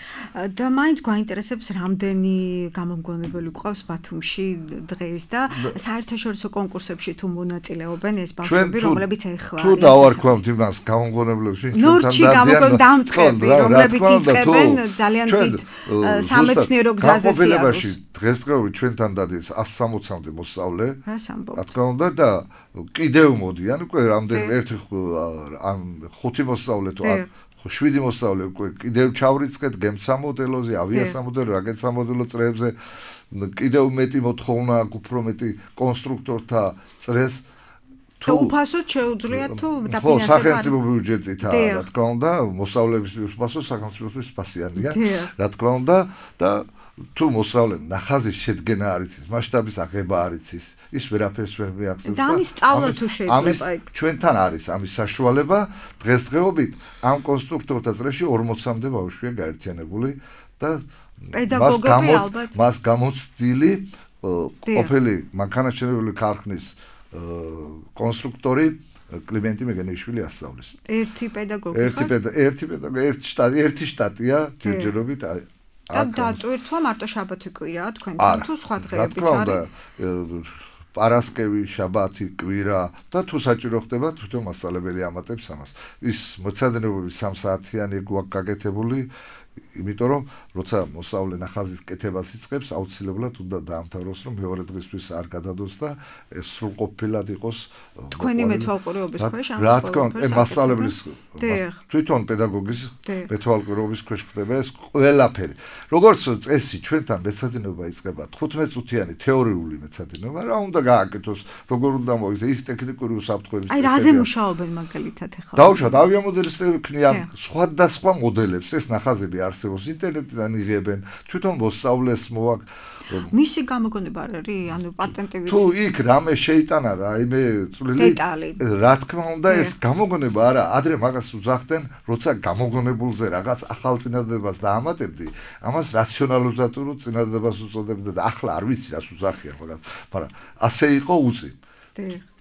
და მაინც გვაინტერესებს რამდენი გამომგონებელი გვყავს ბათუმში დღეს და საერთაშორისო კონკურსებში თუ მონაწილეობენ ეს ბავშვები, რომლებიც ეხლა თუ დავარქვამთ იმას გამომგონებლებს, ვინ ჩვენთან დამწყები, რომლებიც იწყებენ ძალიან დიდ სამეცნიერო გზაზე სიარულს. დღესდღეობით ჩვენთან დადის ასი სამოცამდე მოსწავლე. რა თქმა უნდა და კიდევ მოდიან უკვე რამდენი ერთი ამ ხუთი მოსწავლე თუ შვიდი მოსწავლე უკვე კიდევ ჩავრიცხეთ გემსამოდელოზე, ავიასამოდელო, რაკეტსამოდელო წრეებზე კიდევ მეტი მოთხოვნა აქვს უფრო მეტი კონსტრუქტორთა წრეს თუ უფასოდ შეუძლია თუ დაფინანსება ხო სახელმწიფო ბიუჯეტითაა რა თქმა უნდა მოსწავლეების უფასო სახელმწიფოს ფასიანია რა თქმა უნდა და თუ მოსწავლემ ნახაზის შედგენა არის ის მასშტაბის აღება არის ის ის ვერაფერს ვერ მიახსენებს და ამის სწავლა თუ შეიძლება იქ ჩვენთან არის ამის საშუალება დღესდღეობით ამ კონსტრუქტორთა წრეში ორმოცამდე ბავშვია გაერთიანებული და პედაგოგები ალბათ მას გამოცდილი ყოფილი მანქანათმშენებლური ქარხნის კონსტრუქტორი კლიმენტი მეგენიშვილი ასწავლის ერთი პედაგოგი ერთი ერთი პედაგოგი ერთი შტატი ერთი შტატია ჯერჯერობით და დატვირთვა მარტო შაბათი კვირაა თქვენთან თუ სხვა დღეებიც არის პარასკევი, შაბათი, კვირა და თუ საჭირო ხდება თვითონ მასწავლებელი ამატებს ამას. ის მოცადნებობის სამ საათიანი გვაქვს გაკეთებული, იმიტომ რომ როცა მოსწავლე ნახაზის კეთებას იწყებს, აუცილებლად უნდა დაამთავროს, რომ მეორე დღისთვის არ გადადოს და ეს სრულყოფილად იყოს თქვენი მეთვალყურეობის ქვეშ ამას. რა თქმა უნდა, მასწავლებლის თვითონ პედაგოგის მეთვალყურეობის ქვეშ ხდება ეს ყველაფერი. როგორც წესი ჩვენთან მეცადინეობა იწყება თხუთმეტ წუთიანი თეორიული მეცადინეობა, რა უნდა გააკეთოს, როგორ უნდა მოიქცეს ის ტექნიკური უსაფრთხოების წესები. აი რაზე მუშაობენ მაგალითად ახლა? დავუშვათ ავიამოდელისტები ქმნიან სხვადასხვა მოდელებს, ეს ნახაზები არსებობს ინტერნეტიდან იღებენ თვითონ მოსწავლეს მოაქვს მისი გამოგონება არ არის ანუ პატენტები თუ იქ რამე შეიტანა რა იმე წვლილი რა თქმა უნდა ეს გამოგონება არა ადრე მაგას უძახდნენ როცა გამოგონებულზე რაღაც ახალ წინადადებას დაამატებდი ამას რაციონალიზატორულ წინადადებას უწოდებდა და ახლა არ ვიცი რას უძახიან მაგას მაგრამ ასე იყო უწინ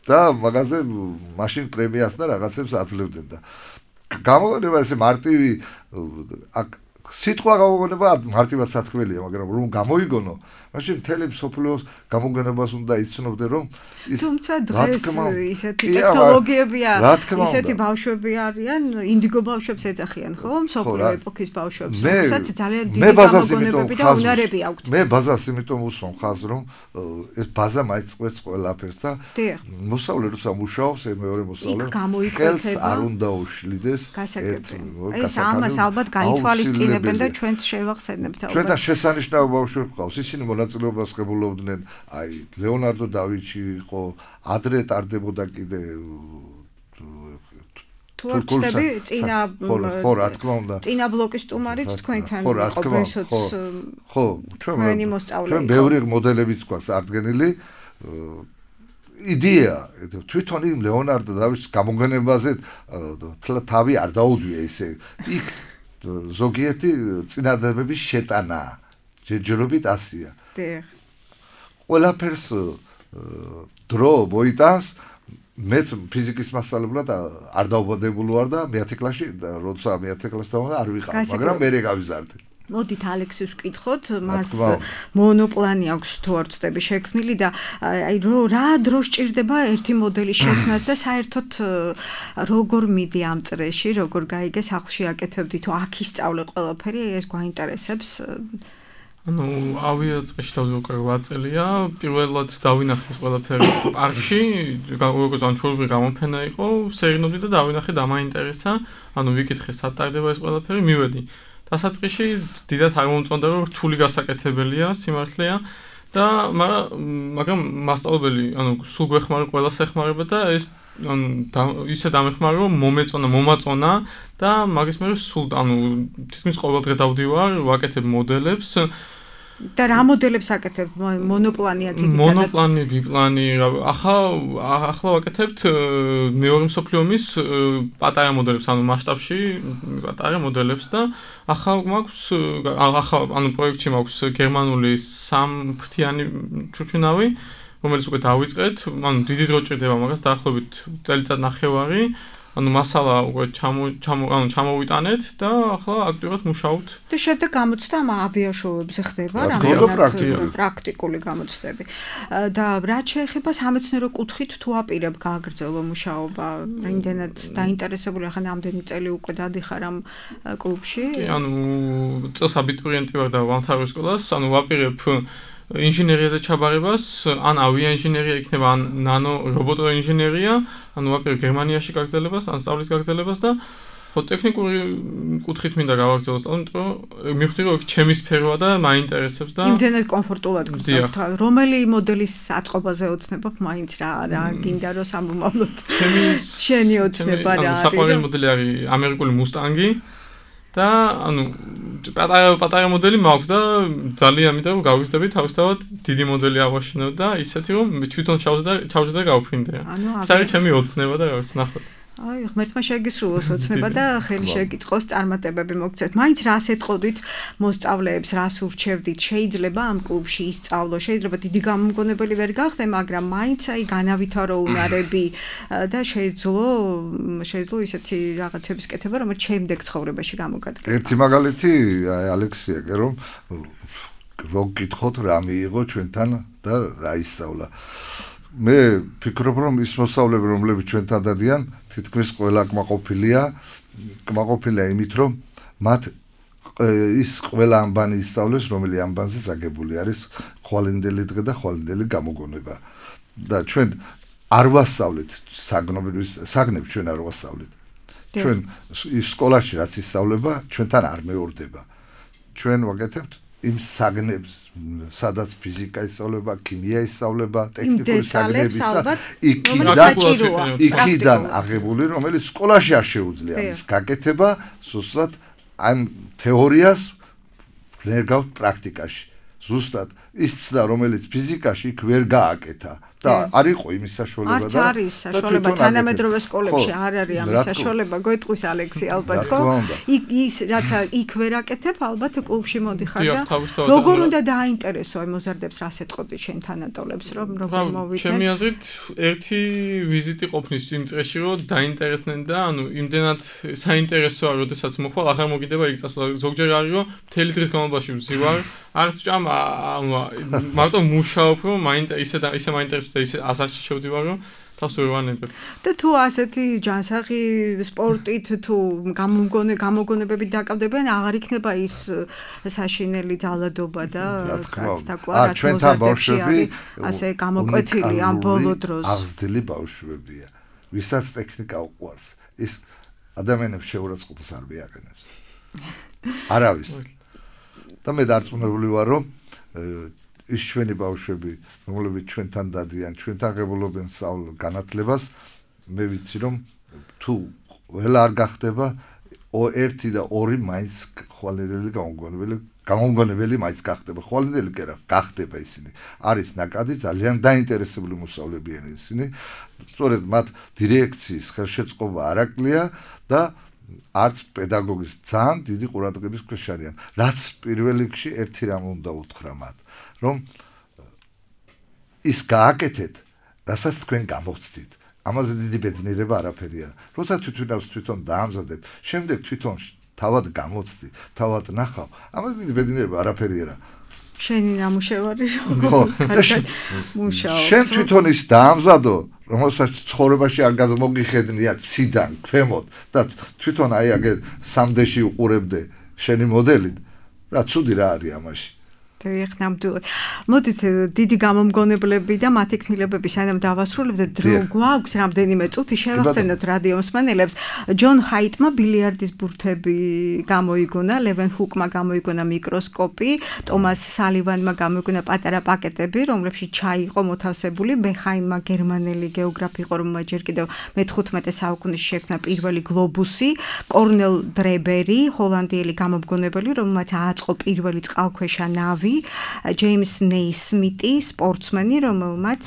და მაგაზე მაშინ პრემიას და რაღაცებს აძლევდნენ და გამოგონება ესე მარტივი აქ სიტყვა გამოგონება მარტივად სათქმელია, მაგრამ რომ გამოიგონო, მაშინ მთელი მსოფლიოს გამოგონებას უნდა იცნობდე, რომ ის თუმცა დღეს ისეთი ტექნოლოგიებია, ისეთი ბავშვები არიან, ინდიგო ბავშვებს ეძახიან, ხო? მსოფლიო ეპოქის ბავშვებს, რომელსაც ძალიან დიდი გამოგონებები და უნარები აქვთ. მე ბაზას იმიტომ უსვამ ხაზს, რომ ეს ბაზა მაიწყებს ყველაფერს და მოსწავლე როცა მუშაობს, მეორე მოსწავლე ხელს არ უნდა უშლიდეს ერთ ეს ამას ალბათ გაითვალისწინებს და ჩვენც შევახსენებთ ალბათ. ჩვენთან შესანიშნავი ბავშვები ყავს, ისინი მონაწილეობას ღებულობდნენ, აი ლეონარდო დავინჩი იყო, ადრე ტარდებოდა კიდე თურქულები წინა ხო რა თქმა უნდა. წინა ბლოკის სტუმარიც თქვენთან იყო ბესოც ხო, ჩვენ ჩვენ ბევრი მოდელებიც გვაქვს ადგენილი იდეა თვითონ იმ ლეონარდო დავინჩის გამოგონებაზე თავი არ დაუდვია ისე იქ ზოგიერთი წინადადებების შეტანა ჯერჯერობით ასია. დიახ. ყველაფერს დრო მოიტანს მეც ფიზიკის მასწავლებლად არ დავბადებული ვარ და მეათე კლასში როცა მეათე კლასში დავარ არ ვიყავ, მაგრამ მე გავიზარდე. მოდით ალექსის ვკითხოთ, მას მონოპლანი აქვს თუ არ ვწდები შექმნილი და აი რა დრო სჭირდება ერთი მოდელის შექმნას და საერთოდ როგორ მიდი ამ წრეში, როგორ გაიგე სახლში აკეთებდი თუ აქ ისწავლე ყველაფერი, ეს გვაინტერესებს. ანუ ავიაწყეში თავზე უკვე რვა წელია, პირველად დავინახე ეს ყველაფერი პარკში, როგორც ან ჩვეულებრივი გამოფენა იყო, სერინობდი და დავინახე და მაინტერესა, ანუ ვიკითხე სად ტარდება ეს ყველაფერი, მივედი. დასაწყისში დიდად არ მომწონდა, რომ რთული გასაკეთებელია, სიმართლეა და მაგრამ მასწავლებელი, ანუ სულ გვეხმარა ყველას ეხმარება და ეს ანუ ისე დამეხმარა, რომ მომეწონა, მომაწონა და მაგის მერე სულ ანუ თითქმის ყოველდღე დავდივარ, ვაკეთებ მოდელებს. და რა მოდელებს აკეთებ? მონოპლანია ძირითადად. მონოპლანი, ბიპლანი, ახლა ახლა ვაკეთებთ მეორე მსოფლიო ომის პატარა მოდელებს, ანუ მასშტაბში პატარა მოდელებს და ახლა მაქვს ახლა ანუ პროექტში მაქვს გერმანული სამფრთიანი თვითმფრინავი, რომელიც უკვე დავიწყეთ, ანუ დიდი დრო ჭირდება მაგას, დაახლოებით წელიწად ნახევარი. ანუ მასალა უკვე ჩამო ჩამო ანუ ჩამოვიტანეთ და ახლა აქტიურად მუშაობთ. და შემდეგ გამოცდა ამ ავიაშოუებზე ხდება რამე პრაქტიკული გამოცდები. და რაც შეეხება სამეცნიერო კუთხით თუ აპირებ გააგრძელო მუშაობა, რამდენად დაინტერესებული ახლა ნამდვილი წელი უკვე დადიხარ ამ კლუბში? კი, ანუ წელს აბიტურიენტი ვარ და ვამთავრებ სკოლას, ანუ ვაპირებ ინჟინერიაზე ჩაბარებას, ან ავიაინჟინერია იქნება, ან ნანო რობოტო ინჟინერია, ანუ ვაპირებ გერმანიაში გაგრძელებას, ან სწავლის გაგრძელებას და ხო ტექნიკური კუთხით მინდა გავაგრძელო სწავლა, იმიტომ რომ მივხვდი რომ ჩემი სფეროა და მაინტერესებს და იმდენად კომფორტულად გრძნობთ. რომელი მოდელის აწყობაზე ოცნებობ მაინც რა რა გინდა რომ სამომავლოდ შენი ოცნება რა არის? საყვარელი მოდელი არის ამერიკული მუსტანგი. და ანუ პატარა პატარა მოდელი მაქვს და ძალიან მინდა რომ გავიზრდები თავისთავად დიდი მოდელი ავაშინო და ისეთი რომ თვითონ ჩავზდა ჩავზდა და გავფრინდე. ეს არის ჩემი ოცნება და რაღაც ნახოთ. აი, ღმერთმა შეგისრულოს ოცნება და ხელი შეგიწყოს წარმატებები მოგცეთ. მაინც რას ეთყოდით მოსწავლეებს, რას ურჩევდით? შეიძლება ამ კლუბში ისწავლო, შეიძლება დიდი გამომგონებელი ვერ გახდე, მაგრამ მაინც აი განავითარო უნარები და შეეძლო შეეძლო ისეთი რაღაცების კეთება, რომელიც შემდეგ ცხოვრებაში გამოგადგება. ერთი მაგალითი აი ალექსიაკე რომ რო გითხოთ რა მიიღო ჩვენთან და რა ისწავლა. მე ფიქრობ რომ ის მოსწავლეები რომლებიც ჩვენთან დადიან თითქმის ყველა კმაყოფილია კმაყოფილია იმით რომ მათ ის ყველა ამბანი ისწავლეს რომელი ამბანზე წაგებული არის ხვალინდელი დღე და ხვალინდელი გამოგონება და ჩვენ არ ვასწავლეთ საგნობრივ საგნებს ჩვენ არ ვასწავლეთ ჩვენ ის სკოლაში რაც ისწავლება ჩვენთან არ მეორდება ჩვენ ვაკეთებთ იმ საგნებს, სადაც ფიზიკა ისწავლება, ქიმია ისწავლება, ტექნიკური საგნებისა, იქიდან იქიდან აღებული, რომელიც სკოლაში არ შეუძლია ის გაკეთება, ზუსტად ამ თეორიას ვერგავთ პრაქტიკაში. ზუსტად ის ცდა, რომელიც ფიზიკაში იქ ვერ გააკეთა და არ იყო იმის საშუალება და არ არის საშუალება თანამედროვე სკოლებში არ არის ამის საშუალება გეტყვის ალექსი ალბათ ხო იქ ის რაც იქ ვერ აკეთებ ალბათ კლუბში მოდიხარ და როგორ უნდა დააინტერესო აი მოზარდებს რას ეთყოდი შენ თანატოლებს რომ როგორ მოვიდნენ ჩემი აზრით ერთი ვიზიტი ყოფნის იმ წრეში რომ დაინტერესდნენ და ანუ იმდენად საინტერესოა როდესაც მოხვალ აღარ მოგიდება იქ წასვლა ზოგჯერ არის რომ მთელი დღის განმავლობაში ვზივარ არც ჭამ მარტო მუშაობ რომ ისე და ისე მაინტერესებს და ისე ასაკში შევდივარ რომ თავს ვერ ვანებებ. და თუ ასეთი ჯანსაღი სპორტით თუ გამოგონე გამოგონებებით დაკავდებიან აღარ იქნება ის საშინელი ძალადობა და კაცთაკვა რაც მოზარდებში ასე გამოკვეთილი ამ ბოლო დროს. აღზრდილი ბავშვებია. ვისაც ტექნიკა უყვარს, ის ადამიანებს შეურაცხყოფას არ მიაყენებს. არავის. და მე დარწმუნებული ვარ რომ ის ჩვენი ბავშვები, რომლებიც ჩვენთან დადიან, ჩვენთან ღებულობენ სწავლ განათლებას, მე ვიცი რომ თუ ყველა არ გახდება, ერთი და ორი მაინც ხვალინდელი გამომგონებელი, გამომგონებელი მაინც გახდება. ხვალინდელი კი არა, გახდება ისინი. არის ნაკადი ძალიან დაინტერესებული მოსწავლეები არიან ისინი. სწორედ მათ დირექციის ხელშეწყობა არ აკლია და არც პედაგოგის ძალიან დიდი ყურადღების ქვეშ არიან. რაც პირველ რიგში ერთი რამ უნდა უთხრა მათ, რომ ის გააკეთეთ, რასაც თქვენ გამოვცდით. ამაზე დიდი ბედნიერება არაფერი არა. როცა თვითონავს თვითონ დაამზადებ, შემდეგ თვითონ თავად გამოცდი, თავად ნახავ. ამას დიდი ბედნიერება არაფერი არა. შენი ნამუშევარი ხო, შენ თვითონ ის დაამზადო, რომელსაც ცხოვრებაში არ გადმოგიხედნია ციდან, ქვემოთ და თვითონ აი აგერ სამდეში უყურებდე შენი მოდელი. რა ცუდი რა არის ამაში. დიახ, ნამდვილად. მოდით დიდი გამომგონებლები და მათი ქმნილებები სანამ დავასრულებთ, დრო გვაქვს რამდენიმე წუთი შევახსენოთ რადიო მსმენელებს. ჯონ ჰაიტმა ბილიარდის ბურთები გამოიგონა, ლევენ ჰუკმა გამოიგონა მიკროსკოპი, ტომას სალივანმა გამოიგონა პატარა პაკეტები, რომლებშიც ჩაი იყო მოთავსებული, ბეხაიმმა გერმანელი გეოგრაფი იყო, რომელმაც ჯერ კიდევ მეთხუთმეტე საუკუნეში შექმნა პირველი გლობუსი, კორნელ დრებერი, ჰოლანდიელი გამომგონებელი, რომელმაც ააწყო პირველი წყალქვეშა ნავი, ჯეიმს ნეისმიტი, სპორტსმენი, რომელმაც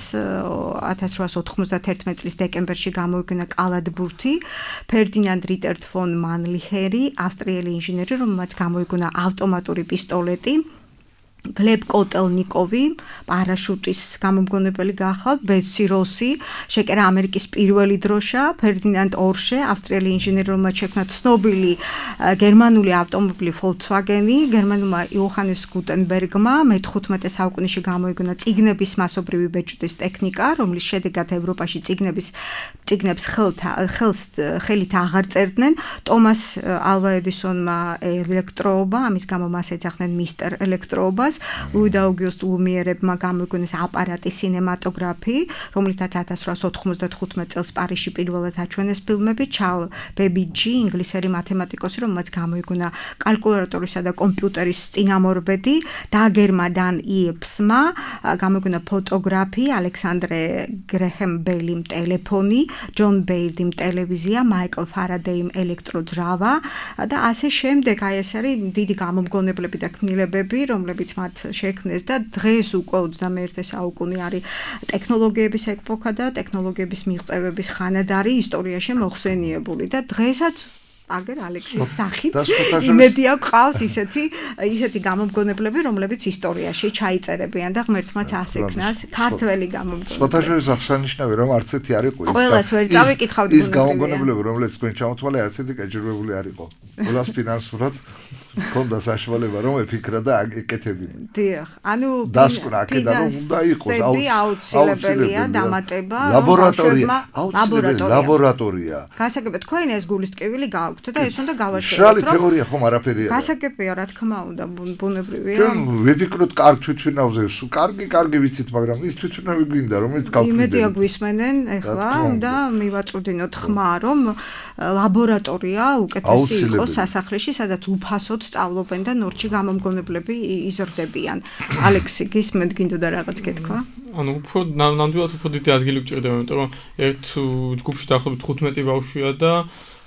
ათას რვაასი ოთხმოცდაათერთმეტი წლის დეკემბერში გამოიგონა კალათბურთი, ფერდინანდ რიტერტ ფონ მანლიხერი, ავსტრიელი ინჟინერი, რომელმაც გამოიგონა ავტომატური პისტოლეტი, გლებ კოტელნიკოვი, პარაშუტის გამომგონებელი გახალთ, ბეტსი როსი, შეკერა ამერიკის პირველი დროშა, ფერდინანდ ორშე, ავსტრიელი ინჟინერი, რომელმაც შექმნა ცნობილი გერმანული ავტომობილი Volkswagen-ი, გერმანულმა იოჰანეს გუტენბერგმა მეთხუთმეტე საუკუნეში გამოიგონა წიგნების მასობრივი ბეჭდის ტექნიკა, რომლის შედეგად ევროპაში წიგნების წიგნებს ხელს ხელით აღარ წერდნენ, ტომას ალვა ედისონმა ელექტროობა, ამის გამო მას ეძახდნენ მისტერ ელექტროობას, ლუი და აუგუსტ ლუმიერებმა გამოიგონეს აპარატი სინემატოგრაფი, რომლითაც ათას რვაასი ოთხმოცდათხუთმეტი წელს პარიზში პირველად აჩვენეს ფილმები, ჩარლ ბებიჯი, ინგლისელი მათემატიკოსი, რომელმაც გამოიგონა კალკულატორისა და კომპიუტერის წინამორბედი, დაგერმა დან იებსმა გამოიგონა ფოტოგრაფი, ალექსანდრე გრეჰემ ბელიმ ტელეფონი, ჯონ ბეირდიმ ტელევიზია, მაიკლ ფარადეიმ ელექტროძრავა და ასე შემდეგ. აი ეს არის დიდი გამომგონებლები და ქმნილებები, რომლებიც მათ შექმნეს და დღეს უკვე ოცდამეერთე საუკუნე არის ტექნოლოგიების ეპოქა და ტექნოლოგიების მიღწევების ხანადარი ისტორიაში მოხსენიებული და დღესაც აგერ ალექსის სახით იმედია გვყავს ისეთი ისეთი გამომგონებლები, რომლებიც ისტორიაში ჩაიწერებიან და ღმერთმაც ასექნას ქართველი გამომგონებლები. სხვათა შორის აღსანიშნავია, რომ არც ერთი არ იყო ის. ყველას ვერ წავიკითხავთ ის გამომგონებლები, რომლებიც თქვენ ჩამოთვალე, არც ერთი გაჯერებული არ იყო. ყველას ფინანსურად ქონდა საშუალება რომ ეფიქრა და ეკეთებინა. დიახ, ანუ დასკვნა აქედან რომ უნდა იყოს აუცილებელია დამატება ლაბორატორია, აუცილებელი ლაბორატორია. გასაგებია, თქვენ ეს გულისტკივილი გააქვთ და ეს უნდა გავაშოროთ. მშრალი თეორია ხომ არაფერია. გასაგებია, რა თქმა უნდა, ბუნებრივია. ჩვენ ვიფიქროთ კარგ თვითმფრინავზე, კარგი, კარგი ვიცით, მაგრამ ის თვითმფრინავი გვინდა, რომელიც გავხდით. იმედია გვისმენენ ეხლა და მივაწვდინოთ ხმა, რომ ლაბორატორია უკეთესი იყოს სასახლეში, სადაც უფასოდ სწავლობენ და ნორჩი გამომგონებლები იზრდებიან. ალექსი, გისმენთ, გინდოდა რაღაც გეთქვა? ანუ უფრო ნამდვილად უფრო დიდი ადგილი გჭირდება, იმიტომ რომ ერთ ჯგუფში დაახლოებით თხუთმეტი ბავშვია და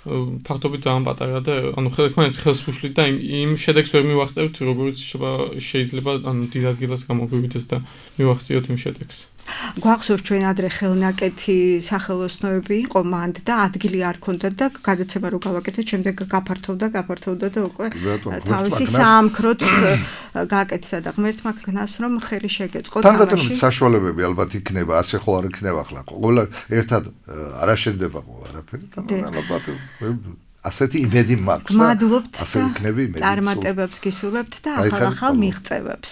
ფაქტობრივად ძალიან პატარა და ანუ ხელმანაც ხელს უშლით და იმ იმ შედეგს ვერ მივახწევთ, როგორც შეიძლება ანუ დიდ ადგილას გამოგვივიდეს და მივახციოთ იმ შედეგს. გვახსოვს ჩვენ ადრე ხელნაკეთი სახელოსნოები იყო მანდ და ადგილი არ ქონდა და გადაცემა რო გავაკეთეთ, შემდეგ გაფართოვდა, გაფართოვდა და უკვე თავისი საამქროც გააკეთა და ღმერთმა ქნას რომ ხელი შეგეწყო თამაში. თანდათან საშუალებები ალბათ იქნება, ასე ხო არ იქნება ახლა. ყველა ერთად არ აშენდება ყველაფერი და ალბათ ასეთი იმედი მაქვს. გმადლობთ. ასე იქნება იმედი. წარმატებებს გისურვებთ და ახალ-ახალ მიღწევებს.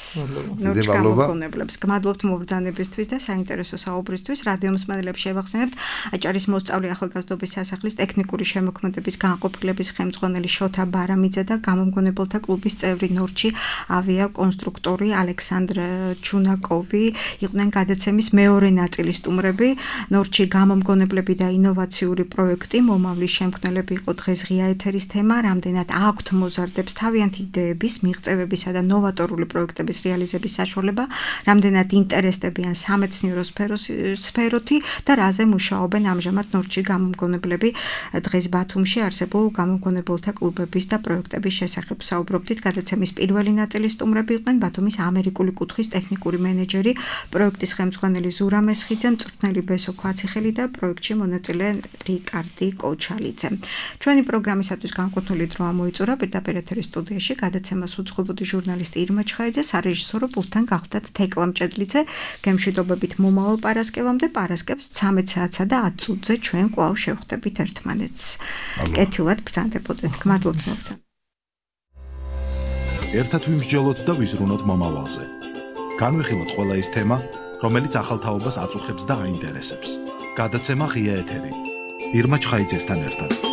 ნორჩ გამოგონებლებს. გმადლობთ მობრძანებისთვის და საინტერესო საუბრისთვის. რადიო მსმენელებს შევახსენებთ აჭარის მოსწავლე ახალგაზრდობის სასახლის ტექნიკური შემოქმედების განყოფილების ხელმძღვანელი შოთა ბარამიძე და გამომგონებელთა კლუბის წევრი ნორჩი ავიაკონსტრუქტორი ალექსანდრ ჩუნაკოვი იყვნენ გადაცემის მეორე ნაწილის სტუმრები. ნორჩი გამომგონებლები და ინოვაციური პროექტი მომავლის შემქმნელები იყო დღეს ღია ეთერის თემა, რამდენად აქვთ მოზარდებს თავიანთი იდეების, მიღწევებისა და ნოვატორული პროექტების რეალიზების საშუალება, რამდენად ინტერესდებიან სამეცნიერო სფეროთი და რაზე მუშაობენ ამჟამად ნორჩი გამომგონებლები. დღეს ბათუმში არსებულ გამომგონებელთა კლუბების და პროექტების შესახებ საუბრობდით. გადაცემის პირველი ნაწილის სტუმრები იყვნენ ბათუმის ამერიკული კუთხის ტექნიკური მენეჯერი, პროექტის ხელმძღვანელი ზურა მესხიძე, მწვრთნელი ბესო ქვაციხელი და პროექტში მონაწილე რიკარდი კოჩალიძე. ჩვენი პროგრამისათვის განკუთვნილი დრო ამოიწურა პირდაპირ ეთერის სტუდიაში გადაცემას უძღვებოდი ჟურნალისტი ირმა ჩხაიძე, სარეჟისორო პულტთან გახლდათ თეკლა მჭედლიძე. გემშვიდობებით მომავალ პარასკევამდე, პარასკევს ცამეტ საათსა და ათ წუთზე ჩვენ კვლავ შევხვდებით ერთმანეთს. კეთილად ბრძანდებოდეთ. გმადლობთ მოგწონთ. ერთად ვიმსჯელოთ და ვიზრუნოთ მომავალზე. განვიხილოთ ყველა ის თემა, რომელიც ახალ თაობას აწუხებს და აინტერესებს. გადაცემა ღია ეთერი. ირმა ჩხაიძესთან ერთად.